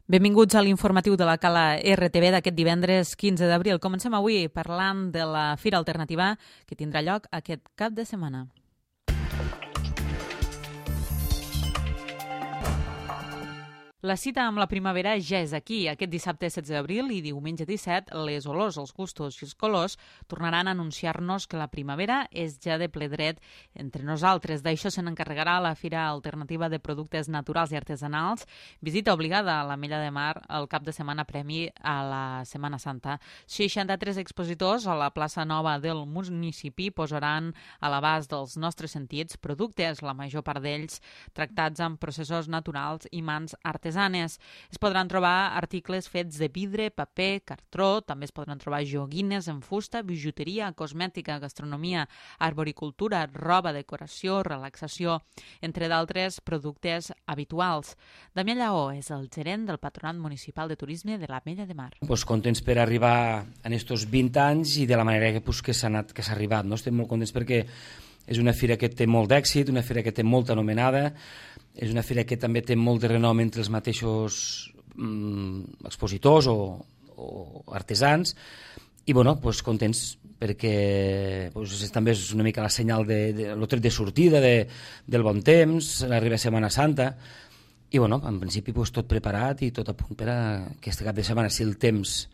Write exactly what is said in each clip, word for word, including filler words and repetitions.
Benvinguts a l'informatiu de la Cala R T V d'aquest divendres quinze d'abril. Comencem avui parlant de la Fira Alternativa que tindrà lloc aquest cap de setmana. La cita amb la primavera ja és aquí. Aquest dissabte setze d'abril i diumenge disset, les olors, els gustos i els colors tornaran a anunciar-nos que la primavera és ja de ple dret entre nosaltres. D'això se n'encarregarà la Fira Alternativa de Productes Naturals i Artesanals, visita obligada a l'Ametlla de Mar el cap de setmana premi a la Setmana Santa. seixanta-tres expositors a la plaça Nova del municipi posaran a l'abast dels nostres sentits productes, la major part d'ells tractats amb processos naturals i mans artesanals. Es podran trobar articles fets de vidre, paper, cartró, també es podran trobar joguines en fusta, bijuteria, cosmètica, gastronomia, arboricultura, roba, decoració, relaxació, entre d'altres productes habituals. Damià Lleó és el gerent del Patronat Municipal de Turisme de l'Ametlla de Mar. Pues contents per arribar en estos vint anys i de la manera que, pues, que s'ha anat, que s'ha arribat. No? Estem molt contents perquè és una fira que té molt d'èxit, una fira que té molta anomenada, és una fira que també té molt de renom entre els mateixos mm, expositors o, o artesans i bueno, pues, contents perquè pues, també és una mica la senyal de, de, el tret de sortida de, del bon temps, l'arriba Setmana Santa i bueno, en principi pues, tot preparat i tot a punt per a aquest cap de setmana, si el temps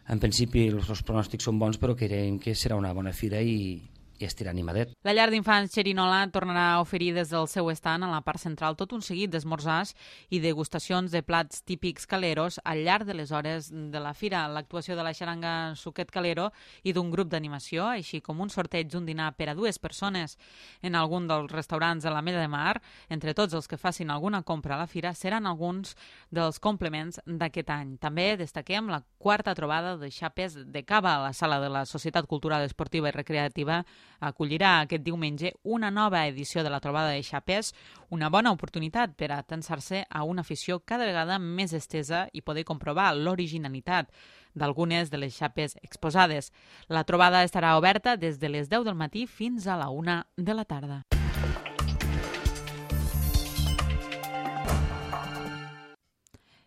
en principi els, els pronòstics són bons però creiem que serà una bona fira i i estirà animadet. La llar d'infants Xerinola tornarà a oferir des del seu estant a la part central tot un seguit d'esmorzars i degustacions de plats típics caleros al llarg de les hores de la fira. L'actuació de la xaranga Suquet Calero i d'un grup d'animació, així com un sorteig d'un dinar per a dues persones en algun dels restaurants de l'Ametlla de Mar, entre tots els que facin alguna compra a la fira, seran alguns dels complements d'aquest any. També destaquem la quarta trobada de xapes de cava a la sala de la Societat Cultural Esportiva i Recreativa acollirà aquest diumenge una nova edició de la trobada de xapes, una bona oportunitat per a atensar-se a una afició cada vegada més estesa i poder comprovar l'originalitat d'algunes de les xapes exposades. La trobada estarà oberta des de les deu del matí fins a la una de la tarda.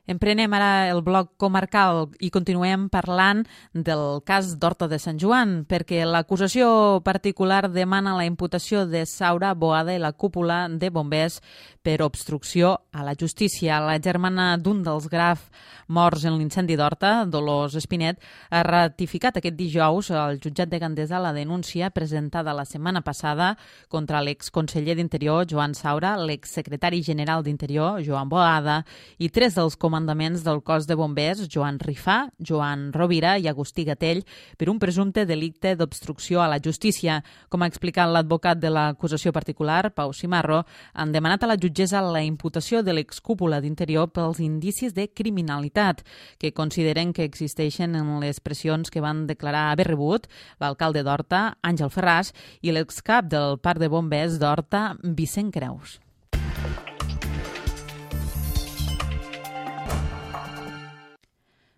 Emprenem ara el bloc comarcal i continuem parlant del cas d'Horta de Sant Joan, perquè l'acusació particular demana la imputació de Saura Boada i la cúpula de bombers per obstrucció a la justícia. La germana d'un dels graf morts en l'incendi d'Horta, Dolors Espinet, ha ratificat aquest dijous al jutjat de Gandesa la denúncia presentada la setmana passada contra l'exconseller d'Interior, Joan Saura, l'exsecretari general d'Interior, Joan Boada, i tres dels comandants comandaments del cos de bombers, Joan Rifà, Joan Rovira i Agustí Gatell, per un presumpte delicte d'obstrucció a la justícia. Com ha explicat l'advocat de l'acusació particular, Pau Cimarro, han demanat a la jutgessa la imputació de l'excúpula d'Interior pels indicis de criminalitat que consideren que existeixen en les pressions que van declarar haver rebut l'alcalde d'Horta, Àngel Ferràs, i l'excap del parc de bombers d'Horta, Vicent Creus.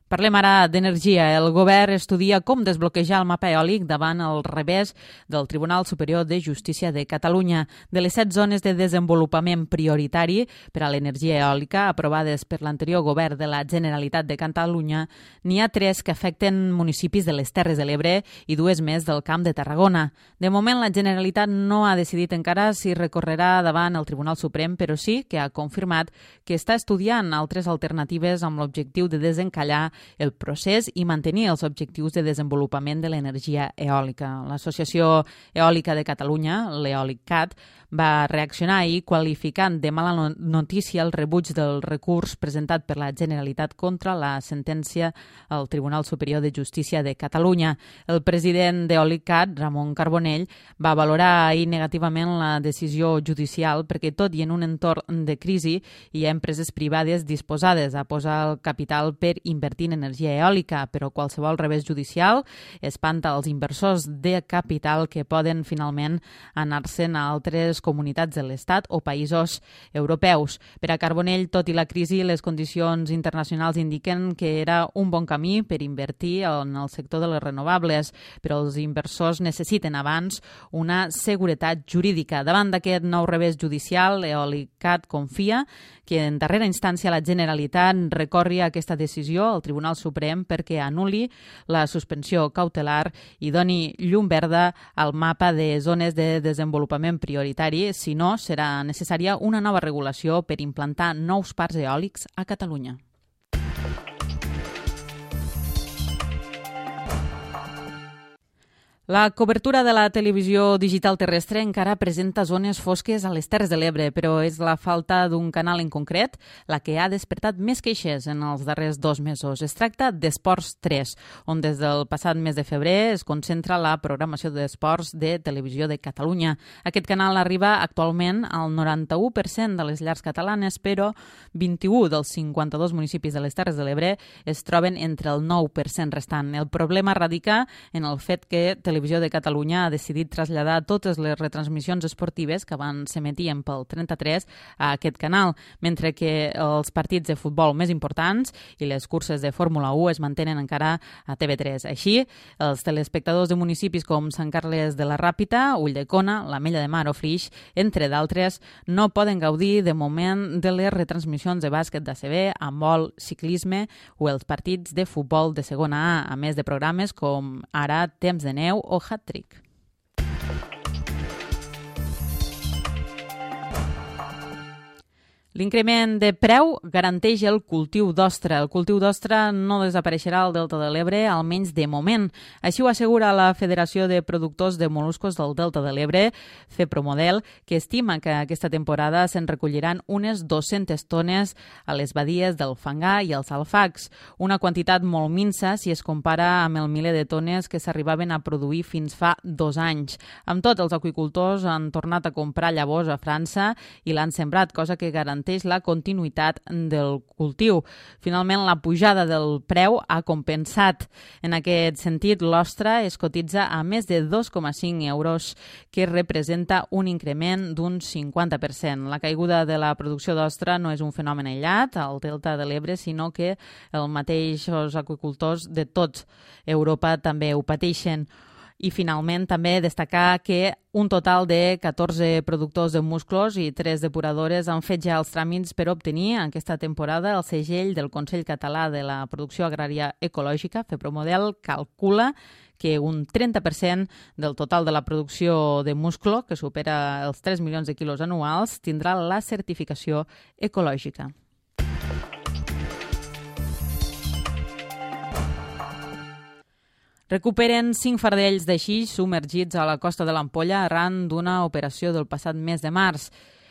Parlem ara d'energia. El govern estudia com desbloquejar el mapa eòlic davant el revés del Tribunal Superior de Justícia de Catalunya. De les set zones de desenvolupament prioritari per a l'energia eòlica aprovades per l'anterior govern de la Generalitat de Catalunya, n'hi ha tres que afecten municipis de les Terres de l'Ebre i dues més del Camp de Tarragona. De moment, la Generalitat no ha decidit encara si recorrerà davant el Tribunal Suprem, però sí que ha confirmat que està estudiant altres alternatives amb l'objectiu de desencallar el procés i mantenir els objectius de desenvolupament de l'energia eòlica. L'Associació Eòlica de Catalunya, l'EòlicCat, va reaccionar ahir qualificant de mala notícia el rebuig del recurs presentat per la Generalitat contra la sentència al Tribunal Superior de Justícia de Catalunya. El president d'EòlicCat, Ramon Carbonell, va valorar ahir negativament la decisió judicial perquè tot i en un entorn de crisi hi ha empreses privades disposades a posar el capital per invertir en energia eòlica, però qualsevol revés judicial espanta els inversors de capital que poden finalment anar-se'n a altres altres comunitats de l'Estat o països europeus. Per a Carbonell, tot i la crisi, les condicions internacionals indiquen que era un bon camí per invertir en el sector de les renovables, però els inversors necessiten abans una seguretat jurídica. Davant d'aquest nou revés judicial, Eolicat confia que en darrera instància la Generalitat recorri aquesta decisió al Tribunal Suprem perquè anul·li la suspensió cautelar i doni llum verda al mapa de zones de desenvolupament prioritari, si no, serà necessària una nova regulació per implantar nous parcs eòlics a Catalunya. La cobertura de la televisió digital terrestre encara presenta zones fosques a les Terres de l'Ebre, però és la falta d'un canal en concret la que ha despertat més queixes en els darrers dos mesos. Es tracta d'Esports tres, on des del passat mes de febrer es concentra la programació d'esports de Televisió de Catalunya. Aquest canal arriba actualment al noranta-u per cent de les llars catalanes, però vint-i-u dels cinquanta-dos municipis de les Terres de l'Ebre es troben entre el nou per cent restant. El problema radica en el fet que Televisió de Catalunya ha decidit traslladar totes les retransmissions esportives que abans s'emetien pel trenta-tres a aquest canal, mentre que els partits de futbol més importants i les curses de Fórmula u es mantenen encara a T V tres. Així, els telespectadors de municipis com Sant Carles de la Ràpita, Ulldecona, l'Ametlla de Mar o Flix, entre d'altres, no poden gaudir de moment de les retransmissions de bàsquet d'A C B, handbol, ciclisme o els partits de futbol de segona A, a més de programes com ara Temps de neu o Hat-Trick. L'increment de preu garanteix el cultiu d'ostra. El cultiu d'ostra no desapareixerà al Delta de l'Ebre, almenys de moment. Així ho assegura la Federació de Productors de Moluscos del Delta de l'Ebre, FEPROMODEL, que estima que aquesta temporada se'n recolliran unes dues-centes tones a les badies del Fangar i els Alfacs, una quantitat molt minsa si es compara amb el miler de tones que s'arribaven a produir fins fa dos anys. Amb tot, els aqüicultors han tornat a comprar llavors a França i l'han sembrat, cosa que garanteix la continuïtat del cultiu. Finalment, la pujada del preu ha compensat. En aquest sentit, l'ostra es cotitza a més de dos coma cinc euros, que representa un increment d'un cinquanta per cent. La caiguda de la producció d'ostra no és un fenomen aïllat al Delta de l'Ebre, sinó que els mateixos aqüicultors de tot Europa també ho pateixen. I finalment també destacar que un total de catorze productors de musclos i tres depuradores han fet ja els tràmits per obtenir aquesta temporada el segell del Consell Català de la Producció Agrària Ecològica. FEPROMODEL calcula que un trenta per cent del total de la producció de musclo, que supera els tres milions de quilos anuals, tindrà la certificació ecològica. Recuperen cinc fardells de xix submergits a la costa de l'Ampolla arran d'una operació del passat mes de març.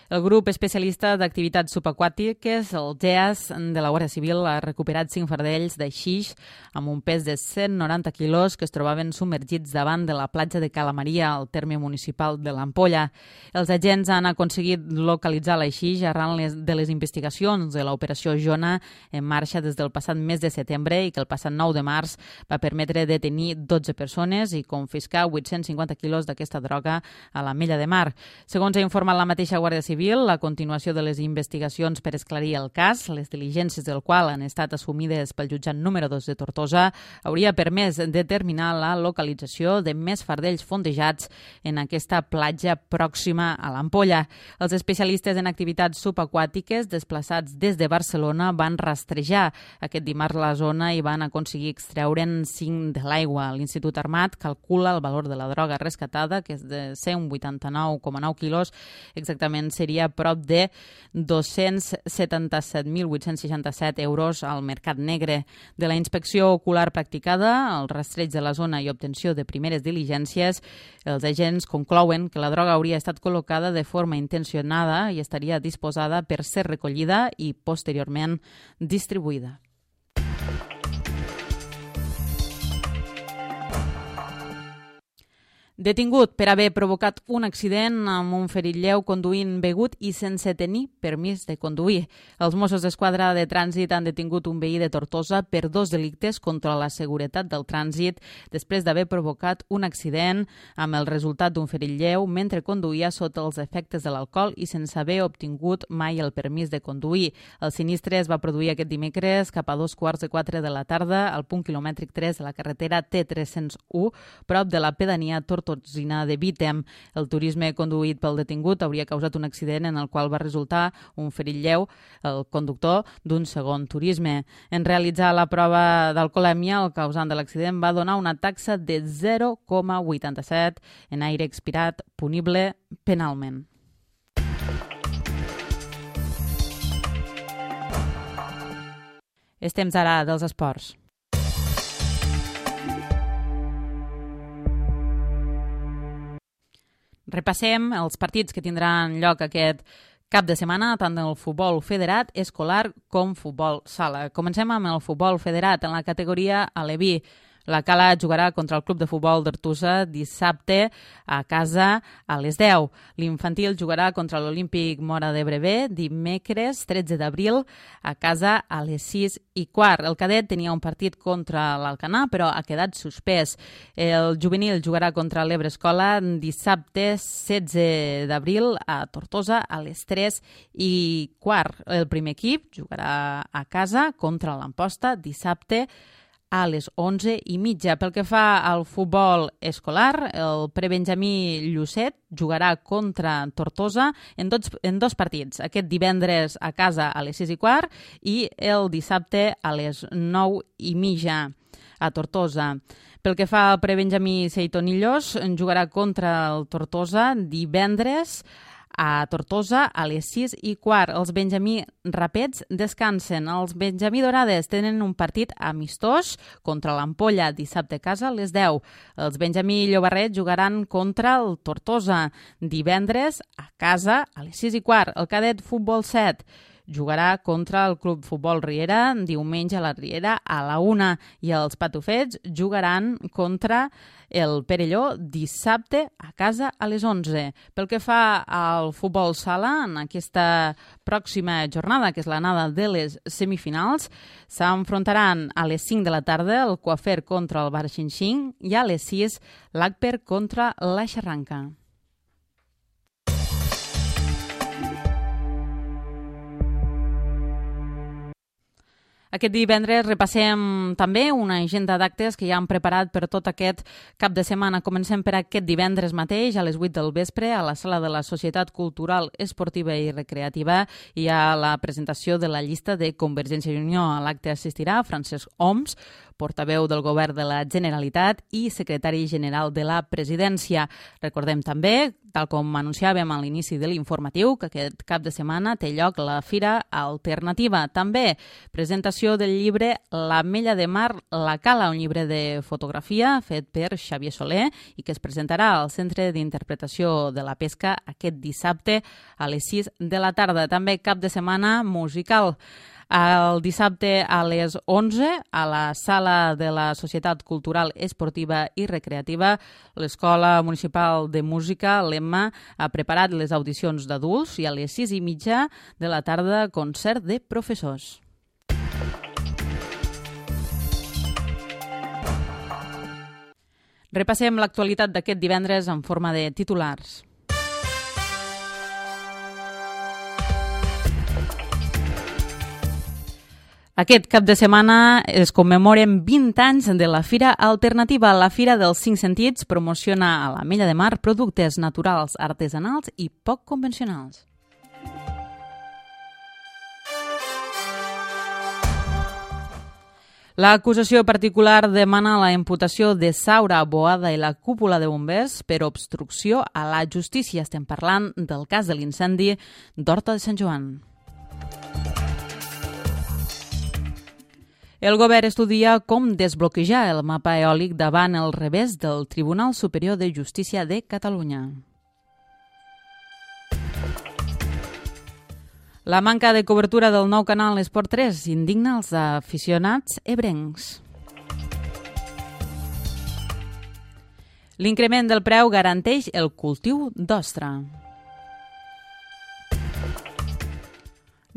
El grup especialista d'activitats subaquàtiques, el G E A S de la Guàrdia Civil, ha recuperat cinc fardells de xix amb un pes de cent noranta quilos que es trobaven submergits davant de la platja de Calamaria, al terme municipal de l'Ampolla. Els agents han aconseguit localitzar la xix arran les, de les investigacions de l'operació Jona en marxa des del passat mes de setembre i que el passat nou de març va permetre detenir dotze persones i confiscar vuit-cents cinquanta quilos d'aquesta droga a l'Ametlla de Mar. Segons ha informat la mateixa Guàrdia Civil, la continuació de les investigacions per esclarir el cas, les diligències del qual han estat assumides pel jutjat número dos de Tortosa, hauria permès determinar la localització de més fardells fondejats en aquesta platja pròxima a l'Ampolla. Els especialistes en activitats subaquàtiques desplaçats des de Barcelona van rastrejar aquest dimarts la zona i van aconseguir extreure'n cinc de l'aigua. L'Institut Armat calcula el valor de la droga rescatada, que és de cent vuitanta-nou coma nou quilos, exactament seria seria prop de dos-cents setanta-set mil vuit-cents seixanta-set euros al mercat negre. De la inspecció ocular practicada, el rastreig de la zona i obtenció de primeres diligències, els agents conclouen que la droga hauria estat col·locada de forma intencionada i estaria disposada per ser recollida i posteriorment distribuïda. Detingut per haver provocat un accident amb un ferit lleu conduint begut i sense tenir permís de conduir. Els Mossos d'Esquadra de Trànsit han detingut un veí de Tortosa per dos delictes contra la seguretat del trànsit després d'haver provocat un accident amb el resultat d'un ferit lleu mentre conduïa sota els efectes de l'alcohol i sense haver obtingut mai el permís de conduir. El sinistre es va produir aquest dimecres cap a dos quarts de quatre de la tarda al punt quilomètric tres de la carretera T tres cents u, prop de la pedania Tortosa Tortosina de Vítem. El turisme conduït pel detingut hauria causat un accident en el qual va resultar un ferit lleu el conductor d'un segon turisme. En realitzar la prova d'alcoholèmia, el causant de l'accident va donar una taxa de zero coma vuitanta-set en aire expirat punible penalment. És temps ara dels esports. Repassem els partits que tindran lloc aquest cap de setmana, tant del futbol federat, escolar com futbol sala. Comencem amb el futbol federat en la categoria aleví. La Cala jugarà contra el Club de Futbol d'Artusa dissabte a casa a les deu. L'infantil jugarà contra l'Olímpic Móra d'Ebre dimecres tretze d'abril a casa a les sis i quart. El cadet tenia un partit contra l'Alcanar, però ha quedat suspès. El juvenil jugarà contra l'Ebre Escola dissabte setze d'abril a Tortosa a les tres i quart. El primer equip jugarà a casa contra l'Amposta dissabte a les onze i mitja. Pel que fa al futbol escolar, el prebenjamí Llucet jugarà contra Tortosa en dos, en dos partits. Aquest divendres a casa a les sis i quart i el dissabte a les nou i mitja a Tortosa. Pel que fa al prebenjamí Seitonillos, jugarà contra el Tortosa divendres a Tortosa a les sis i quart. Els benjamí Rapets descansen. Els benjamí Dorades tenen un partit amistós contra l'Ampolla dissabte a casa a les deu. Els benjamí Llobarret jugaran contra el Tortosa divendres a casa a les sis i quart. El cadet Futbol set jugarà contra el Club Futbol Riera diumenge a la Riera a la una i els Patufets jugaran contra el Perelló dissabte a casa a les onze. Pel que fa al futbol sala, en aquesta pròxima jornada, que és l'anada de les semifinals, s'enfrontaran a les cinc de la tarda el Coafer contra el Bar Xinxing i a les sis l'Agper contra la Xarranca. Aquest divendres repassem també una agenda d'actes que ja han preparat per tot aquest cap de setmana. Comencem per aquest divendres mateix a les vuit del vespre a la sala de la Societat Cultural, Esportiva i Recreativa. Hi ha la presentació de la llista de Convergència i Unió. A l'acte assistirà Francesc Homs, portaveu del Govern de la Generalitat i secretari general de la Presidència. Recordem també, tal com anunciàvem a l'inici de l'informatiu, que aquest cap de setmana té lloc la Fira Alternativa. També presentació del llibre L'Ametlla de Mar, la Cala, un llibre de fotografia fet per Xavier Soler i que es presentarà al Centre d'Interpretació de la Pesca aquest dissabte a les sis de la tarda. També cap de setmana musical. El dissabte a les onze, a la sala de la Societat Cultural, Esportiva i Recreativa, l'Escola Municipal de Música, l'Emma, ha preparat les audicions d'adults i a les sis i mitja de la tarda, concert de professors. Repassem l'actualitat d'aquest divendres en forma de titulars. Aquest cap de setmana es commemoren vint anys de la Fira Alternativa. La Fira dels Cinc Sentits promociona a l'Ametlla de Mar productes naturals, artesanals i poc convencionals. L'acusació particular demana la imputació de Saura, Boada i la cúpula de bombers per obstrucció a la justícia. Estem parlant del cas de l'incendi d'Horta de Sant Joan. El govern estudia com desbloquejar el mapa eòlic davant el revés del Tribunal Superior de Justícia de Catalunya. La manca de cobertura del nou canal Esport tres indigna els aficionats ebrencs. L'increment del preu garanteix el cultiu d'ostra.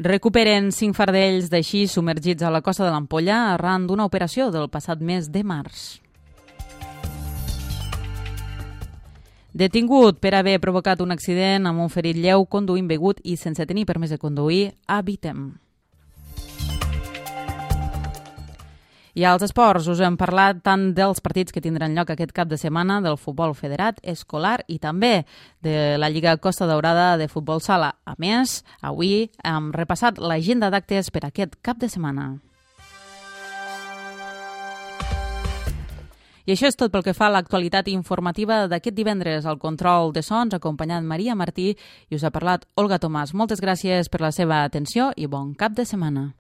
Recuperen cinc fardells d'així submergits a la costa de l'Ampolla arran d'una operació del passat mes de març. Detingut per haver provocat un accident amb un ferit lleu conduint begut i sense tenir permís de conduir a Vitem. I als esports us hem parlat tant dels partits que tindran lloc aquest cap de setmana del futbol federat, escolar i també de la Lliga Costa Daurada de futbol sala. A més, avui hem repassat l'agenda d'actes per aquest cap de setmana. I això és tot pel que fa a l'actualitat informativa d'aquest divendres. Al control de sons, acompanyant Maria Martí, i us ha parlat Olga Tomàs. Moltes gràcies per la seva atenció i bon cap de setmana.